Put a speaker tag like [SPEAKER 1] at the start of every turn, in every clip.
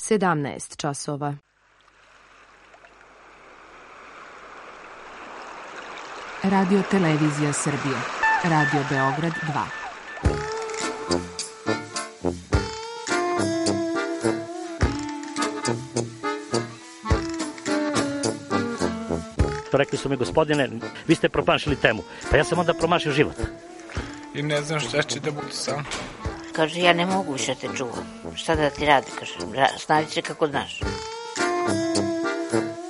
[SPEAKER 1] 17 časova.
[SPEAKER 2] Radio Televizija Srbije. Radio Beograd 2.
[SPEAKER 3] Rekli su mi, gospodine, vi ste promašili temu. Pa ja sam onda promašio život.
[SPEAKER 4] I ne znam šta će da budu sam.
[SPEAKER 5] Kaže, ja ne mogu više te čuvam. Šta da ti radi, kaže, snađi se kako znaš.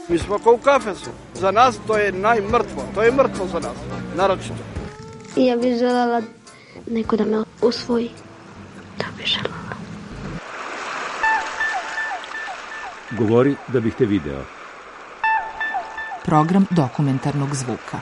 [SPEAKER 6] Mi smo kao u kafesu. Za nas to je najmrtvo. To je mrtvo za nas, naročito.
[SPEAKER 7] I ja bih željela neko da me usvoji. Da bih željela.
[SPEAKER 8] Govori da bih te video.
[SPEAKER 2] Program dokumentarnog zvuka.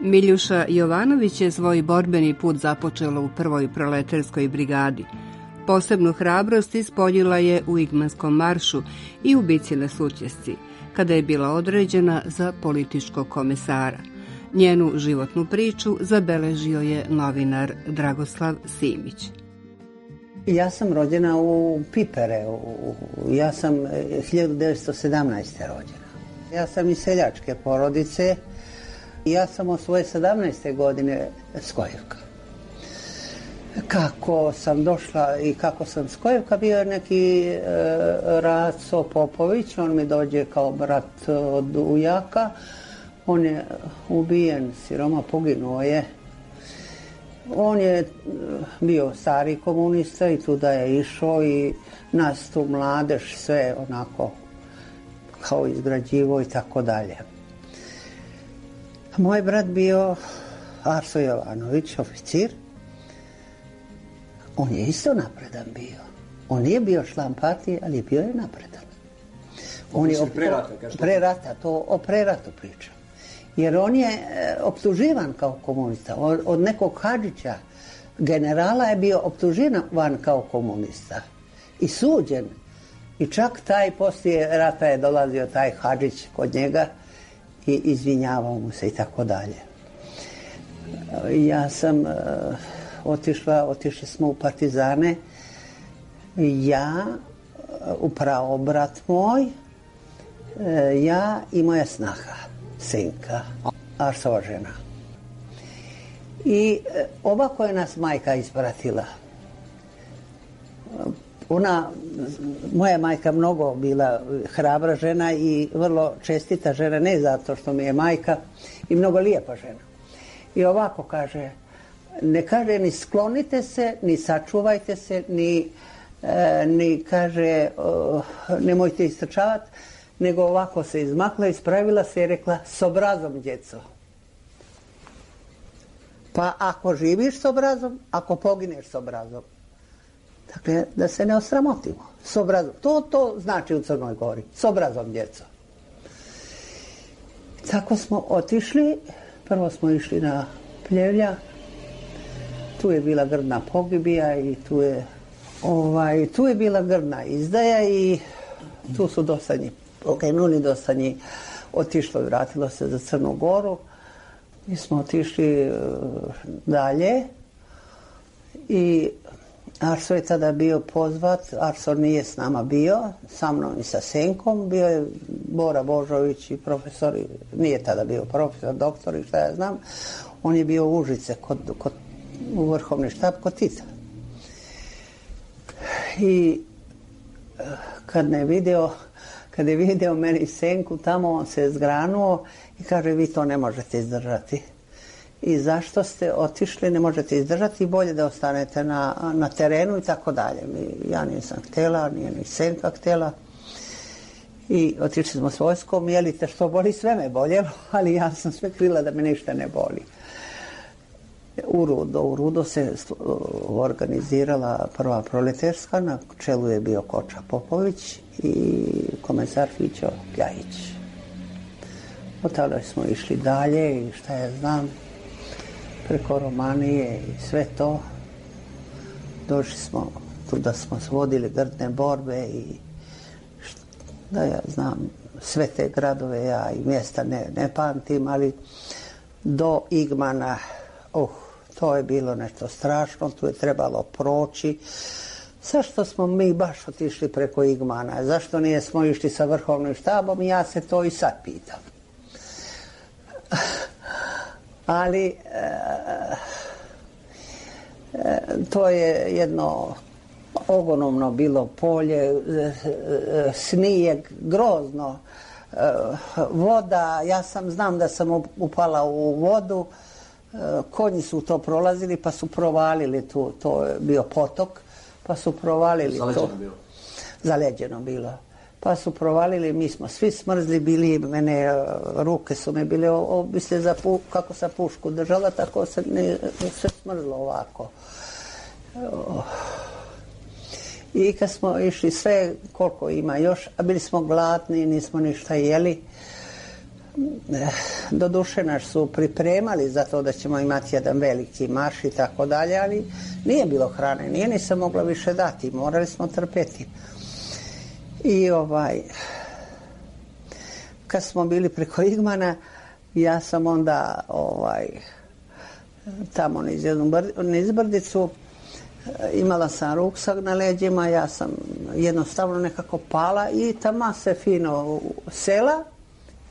[SPEAKER 9] Miljuša Jovanović je svoj borbeni put započela u prvoj proletarskoj brigadi. Posebnu hrabrost ispoljila je u Igmanskom maršu i u bici na Sutjesci, kada je bila određena za političkog komesara. Njenu životnu priču zabeležio je novinar Dragoslav Simić.
[SPEAKER 10] Ja sam rođena u Pipere. Ja sam 1917. rođena. Ja sam iz seljačke porodice. Ja sam od svoje 17. godine Skojevka. Kako sam došla i kako sam Skojevka, bio je neki Raco Popović, on mi dođe kao brat od ujaka. On je ubijen, siroma, poginuo je. On je bio stari komunista i tuda je išao i nas tu mladež sve onako kao izgrađivo i tako dalje. Moj brat bio Arso Jovanović, oficir. On je isto napredan bio. On nije bio član partije, ali bio je napredan. On je pre rata, to o preratu pričam. Jer on je optuživan kao komunista. Od nekog Hadžića, generala, je bio optuživan kao komunista. I suđen. I čak taj poslije rata je dolazio taj Hadžić kod njega i izvinjavao mu se i tako dalje. Ja sam otišli smo u partizane. Ja, upravo brat moj, ja i moja snaha, sinka, Arsova žena. I ovako je nas majka ispratila. Moja majka mnogo bila hrabra žena i vrlo čestita žena, ne zato što mi je majka, i mnogo lijepa žena. I ovako kaže, ne kaže ni sklonite se, ni sačuvajte se, ni kaže nemojte istrčavati, nego ovako se izmakla, ispravila se i rekla, s obrazom, djeco. Pa ako živiš s obrazom, ako pogineš s obrazom. Dakle, da se ne osramotimo. S obrazom. To znači u Crnoj Gori. S obrazom, djeco. Tako smo otišli. Prvo smo išli na Pljevlja. Tu je bila grdna pogibija i tu je bila grdna izdaja i tu su dosta njih poginuli, dosta njih otišlo i vratilo se za Crnu Goru. Mi smo otišli dalje i Arso je tada bio pozvat. Arso nije s nama bio, sa mnom i sa Senkom. Bio je Bora Božović i profesor, nije tada bio profesor, doktor i šta ja znam. On je bio u Užice u vrhovni štab kod Tita. I kad je video meni i Senku tamo, on se je zgranuo i kaže, vi to ne možete izdržati. I zašto ste otišli, ne možete izdržati, bolje da ostanete na terenu i tako dalje. Ja nisam htjela, nije ni Senka htjela. I otišli smo s vojskom, jelite što boli, sve me boljelo, ali ja sam sve krila da me ništa ne boli. U Rudo se organizirala prva proletarska, na čelu je bio Koča Popović i komesar Fićo Kljajić. Od tada smo išli dalje i šta ja znam, preko Romanije i sve to. Došli smo tu da smo vodili grdne borbe i da ja znam, sve te gradove ja i mjesta ne pamtim, ali do Igmana, to je bilo nešto strašno, tu je trebalo proći. Zašto smo mi baš otišli preko Igmana? Zašto nije smo išli sa vrhovnim štabom? Ja se to i sad pitam. Ali to je jedno ogromno bilo polje, snijeg, grozno, voda, ja znam da sam upala u vodu, konji su to prolazili pa su provalili tu, to je bio potok, pa su provalili to. Zaleđeno bilo. Pa su provalili, mi smo svi smrzli bili, ruke su me bile, kako sam pušku držala, tako se sve smrzlo ovako. I kad smo išli sve, koliko ima još, a bili smo gladni, nismo ništa jeli. Doduše nas su pripremali za to da ćemo imati jedan veliki marš i tako dalje, ali nije bilo hrane, nije ni se mogla više dati, morali smo trpeti. I kad smo bili preko Igmana, ja sam onda tamo niz brdicu, imala sam ruksak na leđima, ja sam jednostavno nekako pala i tamo se fino sela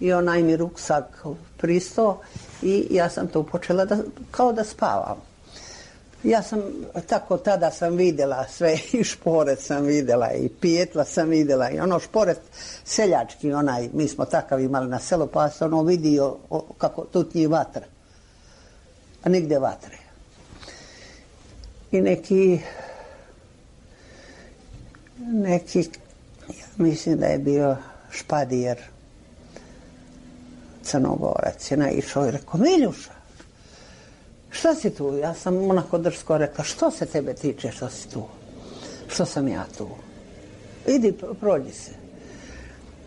[SPEAKER 10] i onaj mi ruksak pristao i ja sam tu počela kao da spavam. Ja sam, tako tada sam vidjela sve, i šporet sam vidjela, i pijetla sam vidjela, i ono šporet seljački, mi smo takav imali na selu, pa sam vidio kako tutnji vatra, a nigdje vatre. I neki, ja mislim da je bio Špadijer, Crnogorac, je naišao i rekao, Miljuša, šta si tu? Ja sam onako drsko rekla, što se tebe tiče, što si tu? Što sam ja tu? Idi, prođi se.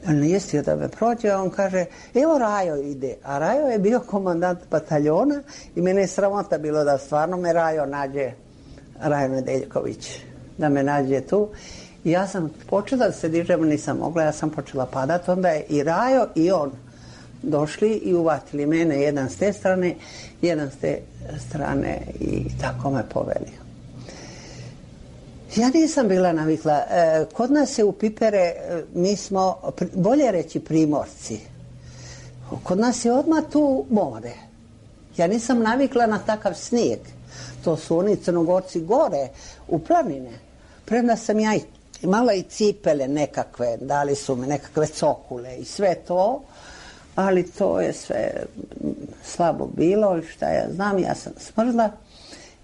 [SPEAKER 10] On nije stio da me prođe, a on kaže, evo Rajo ide. A Rajo je bio komandant bataljona i mene je sramota bilo da stvarno me Rajo nađe, Rajo Nedeljković, da me nađe tu. I ja sam počela da se dižem, nisam mogla, ja sam počela padati. Onda je i Rajo i on došli i uvatili mene, jedan s te strane, jedan s te strane i tako me poveli. Ja nisam bila navikla. Kod nas je u Pipere, mi smo, bolje reći primorci, kod nas je odmah tu more. Ja nisam navikla na takav snijeg. To su oni Crnogorci gore, u planine. Premda sam ja imala i cipele nekakve, dali su mi nekakve cokule i sve to, ali to je sve slabo bilo i šta ja znam, ja sam smrzla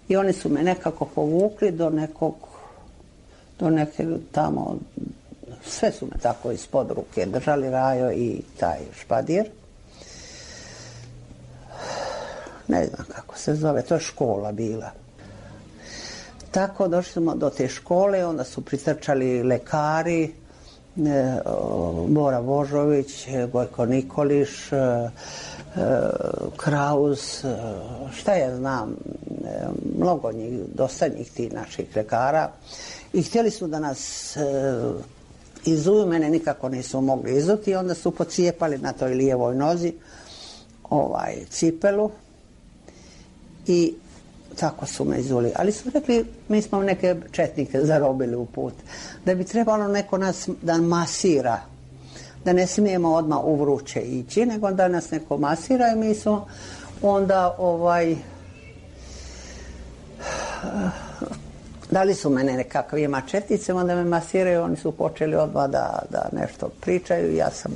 [SPEAKER 10] i oni su me nekako povukli do neke tamo, sve su me tako ispod ruke držali, Rajo i taj Špadir. Ne znam kako se zove, to je škola bila. Tako došli smo do te škole, onda su pritrčali lekari, Bora Božović, Gojko Nikoliš, Kraus, šta ja znam, mnogo njih, dosta njih tih naših lekara. I htjeli su da nas izuju, mene nikako nisu mogli izuti i onda su pocijepali na toj lijevoj nozi cipelu i tako su me izuli. Ali su rekli, mi smo neke četnike zarobili u put, da bi trebalo neko nas da masira, da ne smijemo odmah u vruće ići, nego da nas neko masira i mi smo onda dali su mene nekakve mačetice, onda me masiraju, oni su počeli odmah da nešto pričaju, ja sam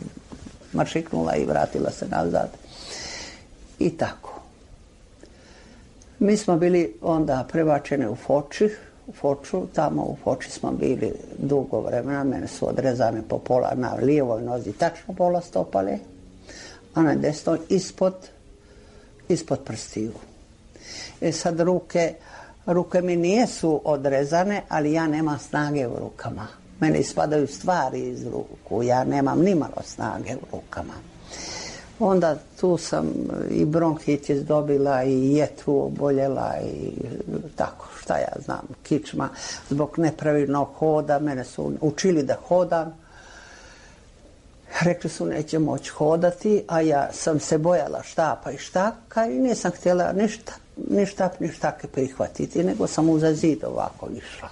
[SPEAKER 10] maršiknula i vratila se nazad. I tako. Mi smo bili onda prebačeni u Foču, tamo u Foči smo bili dugo vremena, mene su odrezane po pola na lijevoj nozi, tačno pola stopale, a na desnoj ispod prstiju. Sad ruke mi nisu odrezane, ali ja nemam snage u rukama. Mene ispadaju stvari iz ruku, ja nemam nimalo snage u rukama. Onda tu sam i bronhitis dobila i jetru oboljela i tako, šta ja znam, kičma. Zbog nepravilnog hoda, mene su učili da hodam. Rekli su neće moći hodati, a ja sam se bojala štapa i štaka i nisam htjela ni štap ni štake prihvatiti, nego sam uza zid ovako išla.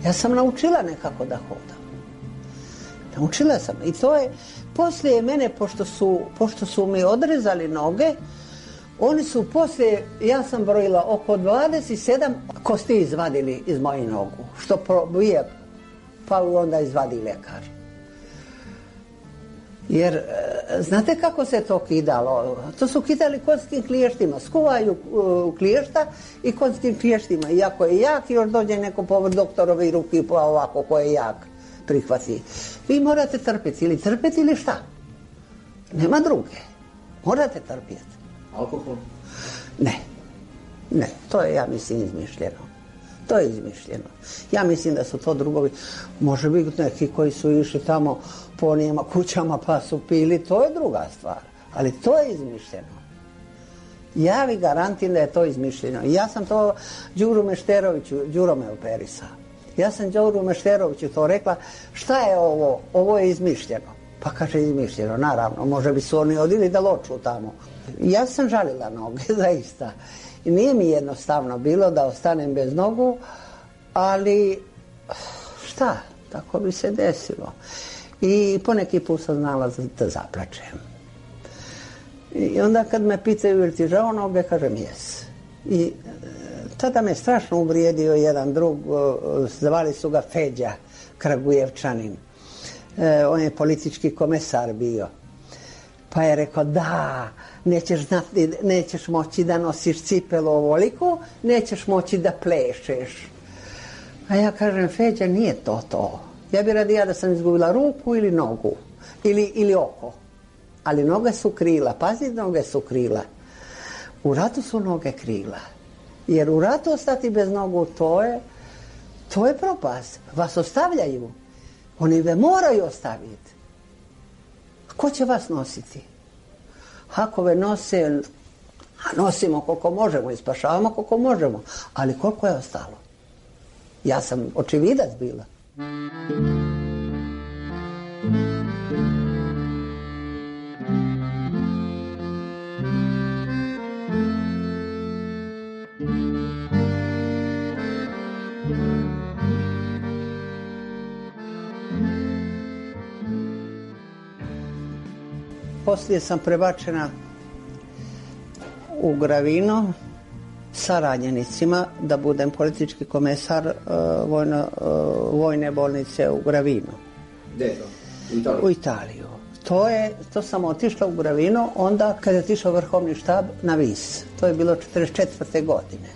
[SPEAKER 10] Ja sam naučila nekako da hodam. Naučila sam. I to je, poslije mene, pošto su mi odrezali noge, oni su poslije, ja sam brojila, oko 27 kosti izvadili iz moje nogu. Što probije, pa onda izvadi ljekar. Jer, znate kako se to kidalo? To su kidali konjskim kliještima. Skuvaju kliješta i konjskim kliještima. I ako je jak, još dođe neko povrd doktorovi ruki, pa ovako ko je jak prihvati. Vi morate trpiti. Ili trpiti ili šta? Nema druge. Morate trpiti.
[SPEAKER 1] Alkohol?
[SPEAKER 10] Ne. To je, ja mislim, izmišljeno. To je izmišljeno. Ja mislim da su to drugovi. Može biti neki koji su išli tamo po onijema kućama pa su pili, to je druga stvar. Ali to je izmišljeno. Ja vi garantim da je to izmišljeno. Ja sam to Đuru Mešteroviću, Đuro me operisao. Ja sam Đuru Mešteroviću to rekla, šta je ovo? Ovo je izmišljeno. Pa kaže izmišljeno, naravno, može bi su oni odili da loču tamo. Ja sam žalila noge, zaista. I nije mi jednostavno bilo da ostanem bez nogu, ali šta, tako bi se desilo. I poneki put sam znala da zaplačem. I onda kad me pitaju ili ti žao noge, kažem jes. I tada me strašno uvrijedio jedan drug, zvali su ga Feđa, Kragujevčanin. On je politički komesar bio. Pa je rekao da, nećeš moći da nosiš cipelu ovoliku, nećeš moći da plešeš. A ja kažem, Feđa, nije to. Ja bi radija da sam izgubila ruku ili nogu, ili oko. Ali noge su krila, pazi, noge su krila. U ratu su noge krila. Jer u ratu ostati bez nogu, to je propast. Vas ostavljaju. Oni ve moraju ostaviti. Ko će vas nositi? Ako ve nose, nosimo koliko možemo i spašavamo koliko možemo. Ali koliko je ostalo? Ja sam očividac bila. Poslije sam prebačena u Gravino sa ranjenicima da budem politički komesar vojne bolnice u Gravino.
[SPEAKER 1] Gdje je to?
[SPEAKER 10] U Italiju. To sam otišla u Gravino onda kada je otišao vrhovni štab na Vis. To je bilo 1944. godine.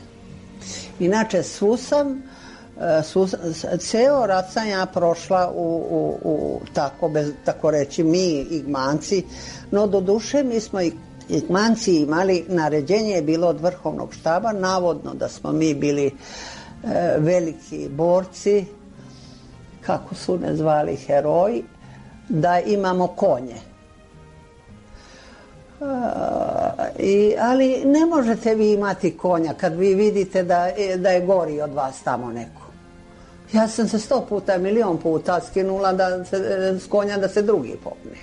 [SPEAKER 10] Inače, ceo rat sam ja prošla tako reći, mi Igmanci, no doduše mi smo Igmanci imali, naređenje je bilo od vrhovnog štaba, navodno da smo mi bili veliki borci, kako su ne zvali, heroji, da imamo konje. Ali ne možete vi imati konja kad vi vidite da je gori od vas tamo neko. Ja sam se 100 puta, milion puta skinula s konja da se drugi popne.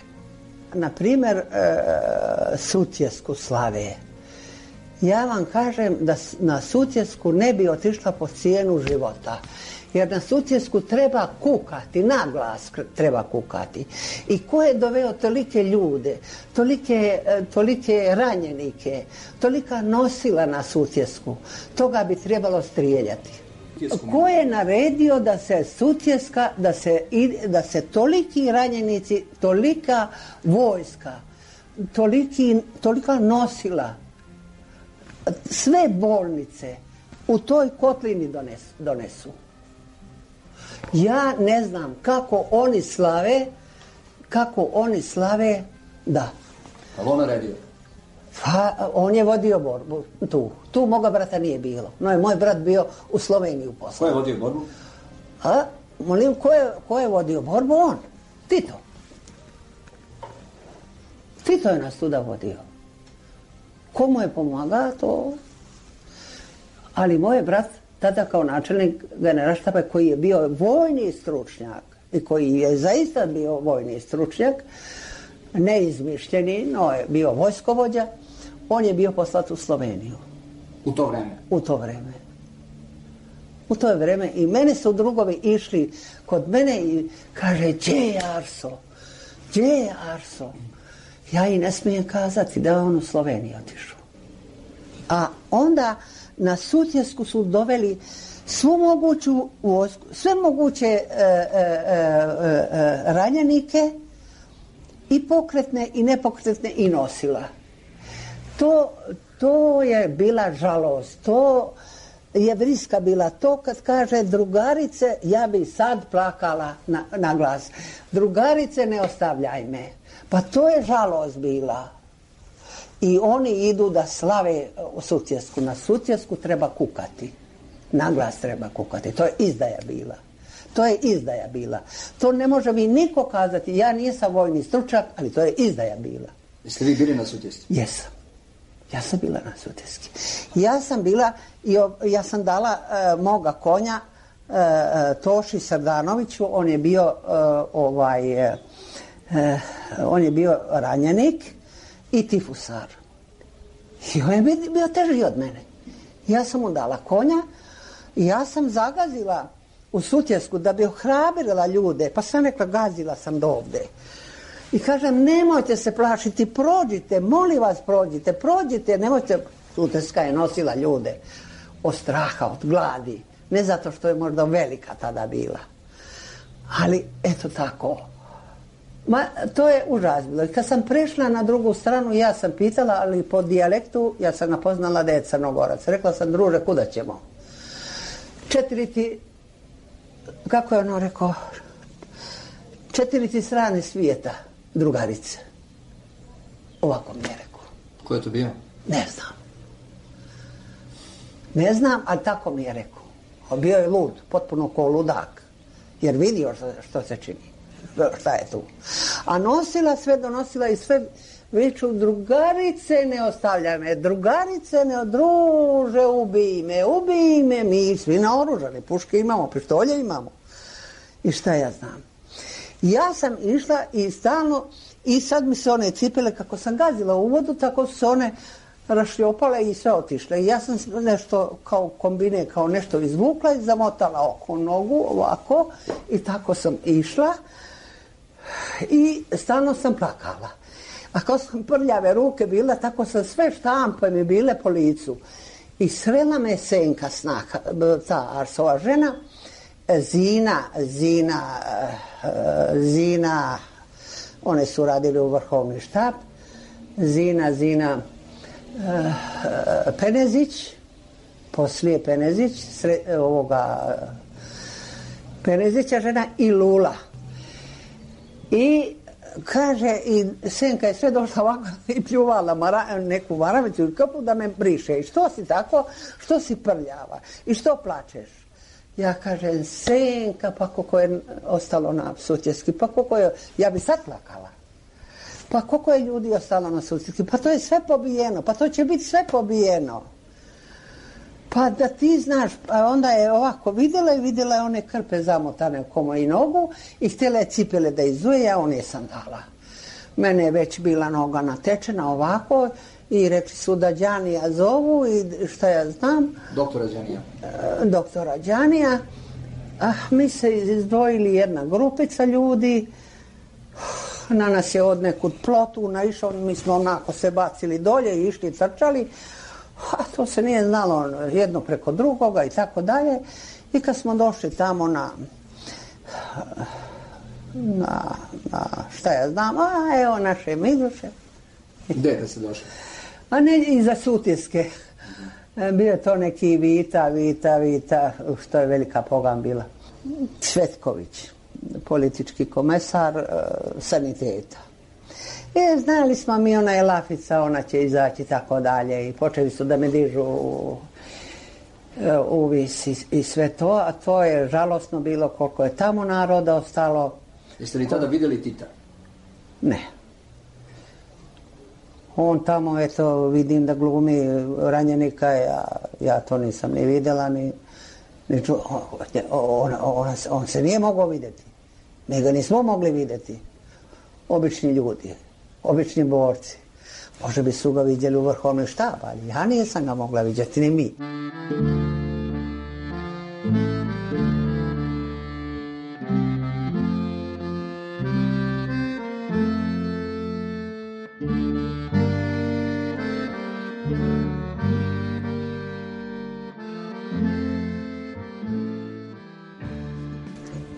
[SPEAKER 10] Naprimjer, Sutjesku slave. Ja vam kažem da na Sutjesku ne bi otišla po cijenu života. Jer na Sutjesku treba kukati, na glas treba kukati. I ko je doveo tolike ljude, tolike ranjenike, tolika nosila na Sutjesku, toga bi trebalo strijeljati. Ko je naredio da se Sutjeska, da se toliki ranjenici, tolika vojska, tolika nosila, sve bolnice u toj kotlini donesu. Ja ne znam kako oni slave, da.
[SPEAKER 1] Ali on naredio?
[SPEAKER 10] Pa, on je vodio borbu tu moga brata nije bilo. No je moj brat bio u Sloveniji u poslu.
[SPEAKER 1] Ko je vodio borbu?
[SPEAKER 10] Molim, ko je vodio borbu? On. Tito. Tito je nas tuda vodio. Ko mu je pomagao, to... Ali moj brat, tada kao načelnik generalštaba, koji je bio vojni stručnjak i koji je zaista bio vojni stručnjak, neizmišljeni, no je bio vojskovođa, on je bio poslat u Sloveniju.
[SPEAKER 1] U to vreme?
[SPEAKER 10] U to vreme. I mene su drugovi išli kod mene i kaže, gdje je Arso? Ja i ne smijem kazati da je on u Sloveniji otišao. A onda na Sutjesku su doveli svu moguću vojsku, sve moguće ranjenike, i pokretne i nepokretne i nosila. To je bila žalost, to je vriska bila. To kad kaže drugarice, ja bi sad plakala na glas. Drugarice, ne ostavljaj me. Pa to je žalost bila. I oni idu da slave Sutjesku. Na Sutjesku treba kukati. Na glas treba kukati. To je izdaja bila. To ne može mi niko kazati. Ja nisam vojni stručnjak, ali to je izdaja bila.
[SPEAKER 1] Jeste vi bili na Sutjesci?
[SPEAKER 10] Jesam. Ja sam bila na Sutjeski. Ja sam dala moga konja Toši Srdanoviću. On je bio ranjenik i tifusar. I on je bio teži od mene. Ja sam mu dala konja i ja sam zagazila u Sutjesku da bi ohrabrila ljude, pa sam rekla, gazila sam do ovde. I kažem, nemojte se plašiti, prođite, molim vas prođite, nemojte. Sutjeska je nosila ljude od straha, od gladi, ne zato što je možda velika tada bila. Ali, eto tako. To je užas bilo. I kad sam prešla na drugu stranu, ja sam pitala, ali po dijalektu, ja sam ga poznala da je Crnogorac. Rekla sam, druže, kuda ćemo? 4 kako je ono rekao, 4 strane svijeta, drugarice. Ovako mi je rekao.
[SPEAKER 1] Ko je to bio?
[SPEAKER 10] Ne znam, ali tako mi je rekao. Bio je lud, potpuno ko ludak, jer vidio što se čini, šta je tu. A donosila i sve viču, drugarice, ne ostavljaj me, drugarice, ne druže, ubij me, mi svi naoružani, puške imamo, pištolje imamo. I šta ja znam. Ja sam išla i stalno, i sad mi se one cipele, kako sam gazila u vodu, tako su se one rašljopale i sve otišle. I ja sam nešto kao kombine, kao nešto izvukla i zamotala oko nogu, ovako, i tako sam išla i stalno sam plakala. A kao sam prljave ruke bila, tako sam sve štampe mi bile po licu. I srela me Senka Snaha, ta Arsova žena, Zina, one su radili u vrhovni štab, Zina Penezić, poslije Penezić, Penezića žena i Lula. I kaže, i Senka je sve došla ovako i pljuvala neku maravicu i kapu da me briše. I što si tako? Što si prljava? I što plačeš? Ja kažem, Senka, pa koliko je ostalo na Sutjeski, pa koliko je, ja bi sad plakala. Pa koliko je ljudi ostalo na Sutjeski, pa to je sve pobijeno, pa to će biti sve pobijeno. Pa da ti znaš, pa onda je ovako vidjela je one krpe zamotane oko moju nogu i htjela je cipele da izuje, a on je sandala. Mene je već bila noga natečena ovako i rekli su da Đanija zovu i šta ja znam. Doktora Đanija. Mi se izdvojili jedna grupica ljudi, na nas je od nekud plotu naišao, mi smo onako se bacili dolje i išli trčali. A to se nije znalo jedno preko drugoga i tako dalje. I kad smo došli tamo na šta ja znam, evo naše Miduše.
[SPEAKER 1] Gde se došli?
[SPEAKER 10] A ne, iza Sutjeske. Bio je to neki Vita, što je velika pogan bila. Cvetković, politički komesar saniteta. Znali smo mi, ona je lafica, ona će izaći i tako dalje i počeli su da me dižu uvis i sve to, a to je žalosno bilo koliko je tamo naroda ostalo.
[SPEAKER 1] Jeste li tada vidjeli Tita?
[SPEAKER 10] Ne. On tamo, eto, vidim da glumi ranjenika, ja to nisam ni vidjela, on se nije mogao vidjeti. Mi ga nismo mogli vidjeti. Obični ljudi, obični borci. Možda bi su ga vidjeli u vrhovnom štabu, ali ja nisam ga mogla vidjeti, ni mi.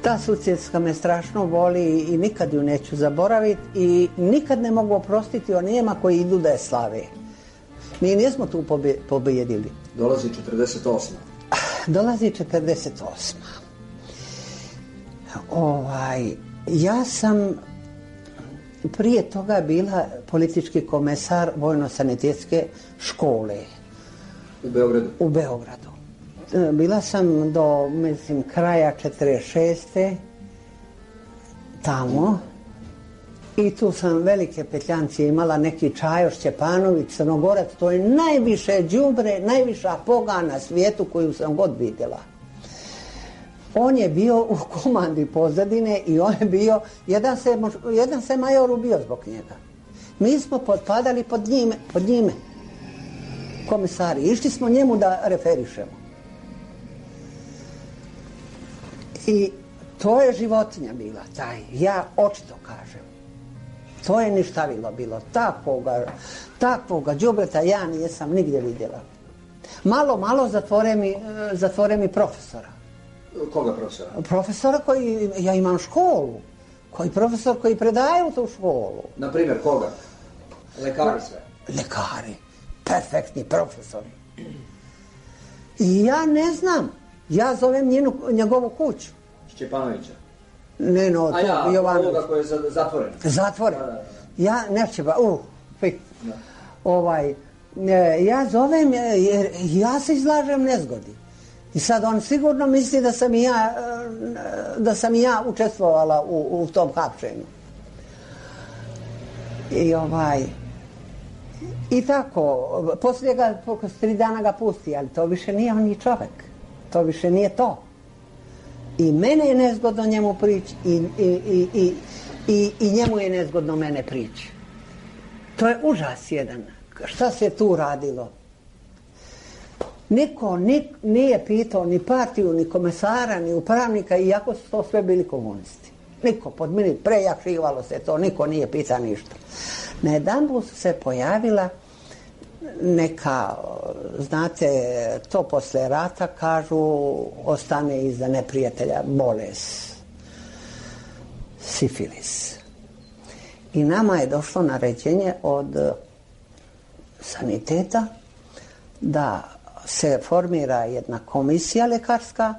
[SPEAKER 10] Ta Sutjeska me strašno voli i nikad ju neću zaboraviti i nikad ne mogu oprostiti onima koji idu da je slave. Mi nismo tu pobijedili.
[SPEAKER 1] Dolazi 48.
[SPEAKER 10] Dolazi 48. Ja sam prije toga bila politički komesar vojno-sanitetske škole.
[SPEAKER 1] U Beogradu?
[SPEAKER 10] U Beogradu. Bila sam do, mislim, kraja 46. tamo i tu sam velike petljancije imala, neki Čajo Šćepanović, Crnogorac, to je najviše đubre, najviša poga na svijetu koju sam god vidjela. On je bio u komandi pozadine i on je bio, jedan se major ubio zbog njega. Mi smo potpadali pod njime, komisari, išli smo njemu da referišemo. I to je životinja bila, ja očito kažem. To je ništavilo bilo, takvoga đubreta ja nisam nigdje vidjela. Malo zatvore mi profesora.
[SPEAKER 1] Koga profesora?
[SPEAKER 10] Profesora koji, ja imam školu, profesor koji predaje u tu školu.
[SPEAKER 1] Na primjer, koga? Lekari sve?
[SPEAKER 10] Lekari, perfektni profesori. I ja ne znam. Ja zovem njegovu kuću.
[SPEAKER 1] Šćepanovića?
[SPEAKER 10] Ne, Jovanović.
[SPEAKER 1] Ovoga koji je zatvoren?
[SPEAKER 10] Zatvoren. Ja ja zovem jer ja se izlažem nezgodi. I sad on sigurno misli da sam i ja učestvovala u tom hapšenju. I tako, poslije ga, 3 dana ga pusti, ali to više nije on ni čovjek. To više nije to. I mene je nezgodno njemu prići i njemu je nezgodno mene prići. To je užas jedan. Šta se tu radilo? Niko nije pitao ni partiju, ni komesara, ni upravnika, iako su to sve bili komunisti. Niko, prejačivalo se to, niko nije pitao ništa. Najedanput su se pojavila neka, znate, to posle rata kažu ostane iza neprijatelja bolest, sifilis. I nama je došlo naređenje od saniteta da se formira jedna komisija lekarska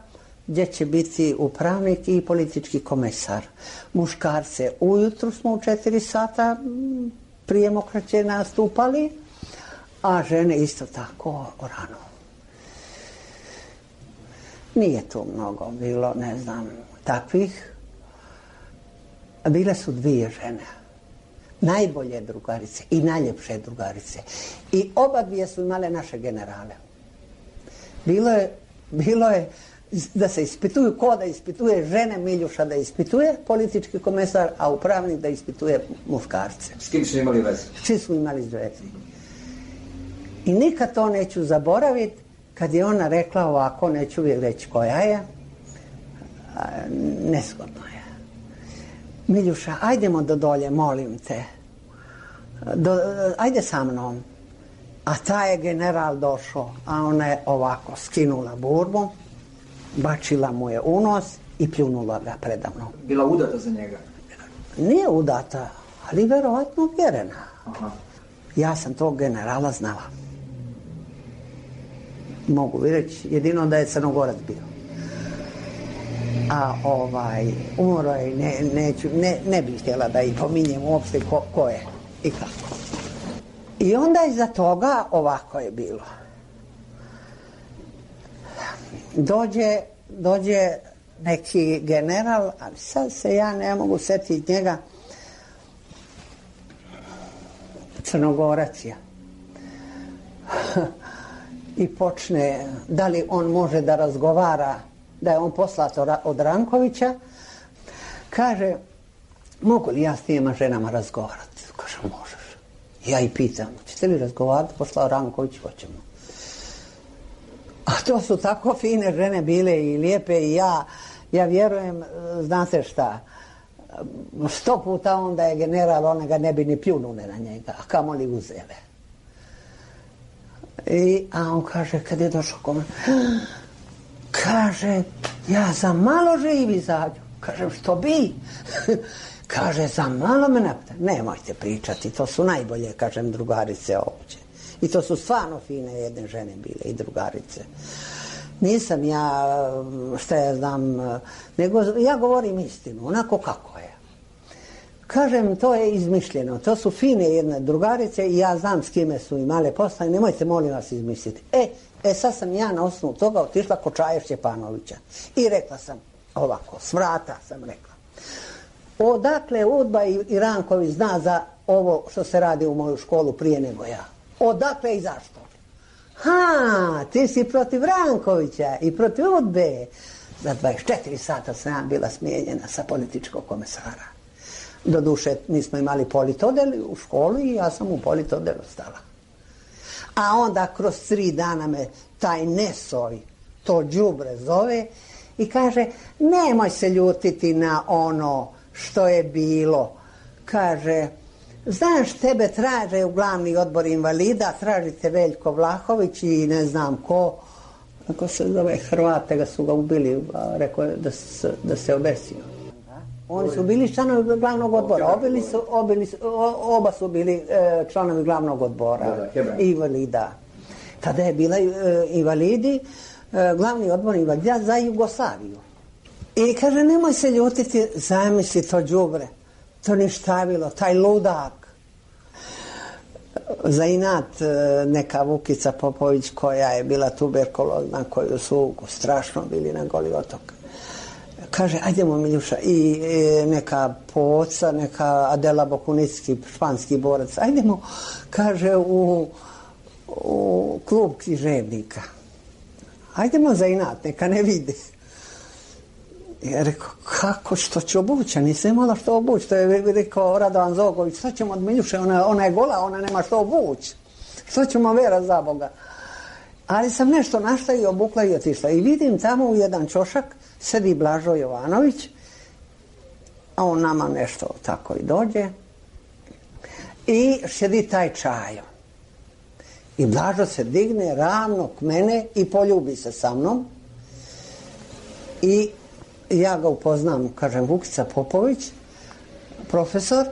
[SPEAKER 10] gdje će biti upravnik i politički komesar. Muškarce ujutru smo u 4 sata prije mokraće nastupali, a žene isto tako rano. Nije tu mnogo bilo, ne znam, takvih. Bile su 2 žene. Najbolje drugarice i najljepše drugarice. I oba 2 su imale naše generale. Bilo je da se ispituju, ko da ispituje žene, Miljuša da ispituje, politički komesar, a upravnik da ispituje muškarce.
[SPEAKER 1] S kim su imali veze?
[SPEAKER 10] Svi su imali veze. I nikad to neću zaboraviti, kad je ona rekla ovako, neću reći koja je, nezgodno je. Miljuša, ajdemo do dolje, molim te. Ajde sa mnom. A taj je general došao, a ona je ovako skinula burbu, bačila mu je u nos i pljunula ga predamnom.
[SPEAKER 1] Bila udata za njega?
[SPEAKER 10] Nije udata, ali verovatno vjerena. Aha. Ja sam tog generala znala. Mogu reći, jedino da je Crnogorac bio. a umro je, ne bih htjela da ih pominjem uopšte ko je i kako. I onda iza toga ovako je bilo. Dođe neki general, ali sad se ja ne mogu setiti njega, Crnogorac je. I počne, da li on može da razgovara, da je on poslat od Rankovića, kaže, mogu li ja s tijema ženama razgovarati? Kaže, možeš. Ja i pitam, ćete li razgovarati? Poslao Ranković, hoćemo. A to su tako fine žene bile i lijepe i ja vjerujem, znate šta, 100 puta onda je general, one ga ne bi ni pljunule na njega, a kamoli uzele. A on kaže, kad je došao kome, kaže, ja za malo živ izađu. Kažem, što bi? Kaže, za malo me napita. Nemojte pričati, to su najbolje, kažem, drugarice ovdje. I to su stvarno fine jedne žene bile i drugarice. Nisam ja, šta ja znam, nego ja govorim istinu, onako kako je. Kažem, to je izmišljeno, to su fine jedne drugarice i ja znam s kime su imale posla i nemojte molim vas izmisliti. Sad sam ja na osnovu toga otišla kod Čaje Šćepanovića i rekla sam ovako, s vrata sam rekla. Odakle Udba i Ranković zna za ovo što se radi u moju školu prije nego ja? Odakle i zašto? Ti si protiv Rankovića i protiv Udbe. Za 24 sata sam ja bila smijenjena sa političkog komesara. Doduše, mi smo imali politodel u školu i ja sam u politodelu stala. A onda kroz 3 dana me taj Nesoj, to đubre zove i kaže, nemoj se ljutiti na ono što je bilo. Kaže, znaš, tebe traže u glavni odbor invalida, tražite Veljko Vlahović i ne znam ko, kako se zove, Hrvate ga su ga ubili, rekao je da se obesio. Oni su bili članovi glavnog odbora, oba su bili članovi glavnog odbora, invalida. Tada je bila invalidi, glavni odbor invalida za Jugoslaviju. I kaže, nemoj se ljutiti, zamisli to đubre, to ništavilo, taj ludak. Za inat neka Vukica Popović koja je bila tuberkulozna, koju su strašno bili na Goli otok. Kaže, ajdemo Miljuša, i neka Poca, neka Adela Bokunicki, španski borac, ajdemo, kaže, u klub književnika. Ajdemo za inat, neka ne vide. Ja rekao, kako, što ću obući? Nisam imala što obući. To je rekao Radovan Zogović, što ćemo od Miljuše, ona je gola, ona nema što obući. Što ćemo vera za Boga? Ali sam nešto našla i obukla i otišla. I vidim tamo u jedan čošak sedi Blažo Jovanović, a on nama nešto tako i dođe. I sedi taj Čajo. I Blažo se digne ravno k mene i poljubi se sa mnom. I ja ga upoznam, kažem, Vukica Popović, profesor,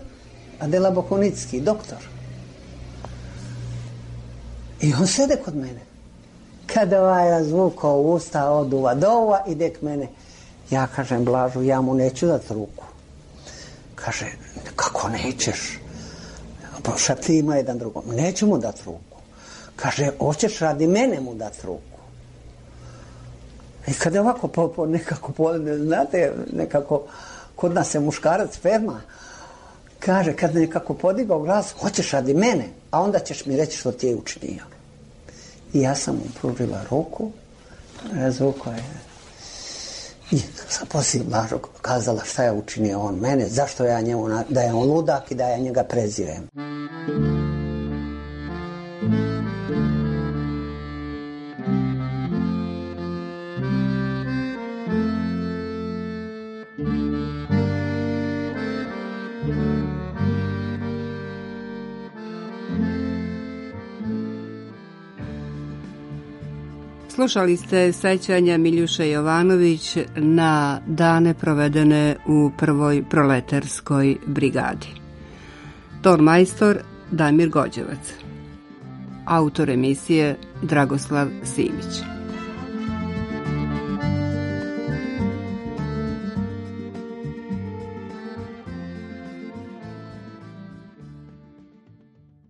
[SPEAKER 10] Adela Bokunicki, doktor. I on sede kod mene. Kada ovaj razvukao usta od uva do uva, ide k mene. Ja kažem Blažu, ja mu neću dati ruku. Kaže, kako nećeš? Šaptimo jedan drugom. Neću mu dati ruku. Kaže, hoćeš radi mene mu dati ruku. I kada je ovako nekako, znate, nekako kod nas je muškarac ferma, kaže, kad nekako podigao glas, hoćeš radi mene, a onda ćeš mi reći što ti je učinio. I ja sam mu pružila ruku, razvukao je. I sam poslije Blažo kazala šta je učinio on mene, zašto ja njemu, da je on ludak i da ja njega prezirem.
[SPEAKER 9] Slušali ste sećanja Miljuše Jovanović na dane provedene u prvoj proletarskoj brigadi. Ton majstor Damir Gođevac. Autor emisije Dragoslav Simić.